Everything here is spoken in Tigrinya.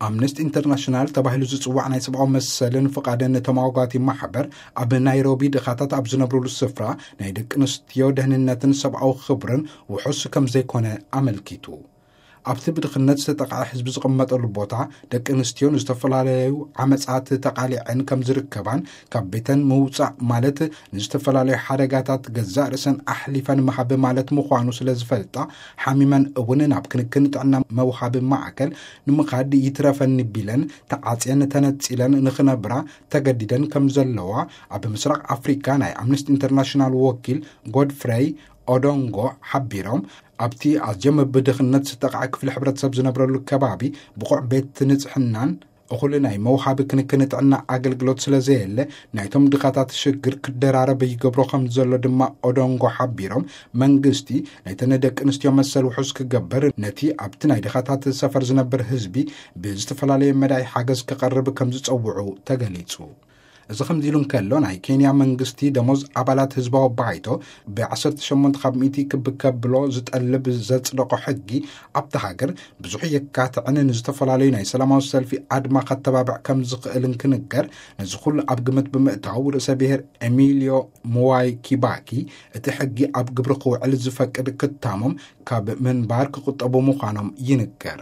ኣምነስቲ ኢንተርናሽናል ተባሂሉ ዝጽዋዕ ናይ ሰብኣዊ መሰልን ፍቓድን ተማጓቲ ማሕበር፣ ኣብ ናይሮቢ ድኻታት ኣብ ዝነብሩሉ ስፍራ ናይ ደቂ ኣንስትዮ ደህንነትን ሰብኣዊ ክብርን ውሑስ ከም ዘይኮነ ኣመልኪቱ። ኣብቲ ብድኽነት ዝተጠቕዐ ህዝቢ ዝቕመጠሉ ቦታ፣ ደቂ ኣንስትዮ ንዝተፈላለዩ ዓመጻት ተቓሊዐን ከም ዝርከባን ካብ ቤተን ምውጻእ ማለት ንዝተፈላለዩ ሓደጋታት ገዛእ ርእሰን ኣሕሊፈን ምሃብ ማለት ምዃኑ ስለ ዝፈልጣ፣ ሓሚመን እውን ናብ ክንክን ጥዕና መውሃቢ ማዕከል ንምኻድ ይትረፈኒ ቢለን ተዓጽየን ተነጺለን ንኽነብራ ተገዲደን ከም ዘለዋ ኣብ ምስራቕ ኣፍሪካ ናይ ኣምነስቲ ኢንተርናሽናል ወኪል ጎድፍረይ ኦዶንጎ ሓቢሮም፣ ኣብቲ ኣዝዮም ብድኽነት ዝተቓዐ ክፍሊ ሕብረተሰብ ዝነብረሉ ከባቢ ብቑዕ ቤት ንጽሕናን እኹል ናይ መውሃቢ ክንክን ጥዕና ኣገልግሎት ስለ ዘየለ፣ ናይቶም ድኻታት ሽግር ክደራረብ ይገብሮ ከም ዘሎ ድማ ኦዶንጎ ሓቢሮም፣ መንግስቲ ነተን ደቂ ኣንስትዮ መሰል ውሑስ ክገብር፣ ነቲ ኣብቲ ናይ ድኻታት ሰፈር ዝነብር ህዝቢ ብዝተፈላለየ መዳይ ሓገዝ ክቐርብ ከም ዝጸውዑ ተገሊጹ። እዚ ከምዚ ኢሉ እንከሎ፣ ናይ ኬንያ መንግስቲ ደሞዝ ኣባላት ህዝባዊ ባይቶ ብ18 ካብ ሚእቲ ክብ ከብሎ ዝጠልብ ዘጽደቆ ሕጊ ኣብቲ ሃገር ብዙሕ የካትዕን ንዝተፈላለዩ ናይ ሰላማዊ ሰልፊ ኣድማ ከተባብዕ ከም ዝኽእል እንክንገር፣ ነዚ ኩሉ ኣብ ግምት ብምእታው ርእሰ ብሔር ኤሚልዮ ሙዋይ ኪባኪ እቲ ሕጊ ኣብ ግብሪ ክውዕል ዝፈቅድ ክታሞም ካብ ምንባር ክቁጠቡ ምዃኖም ይንገር።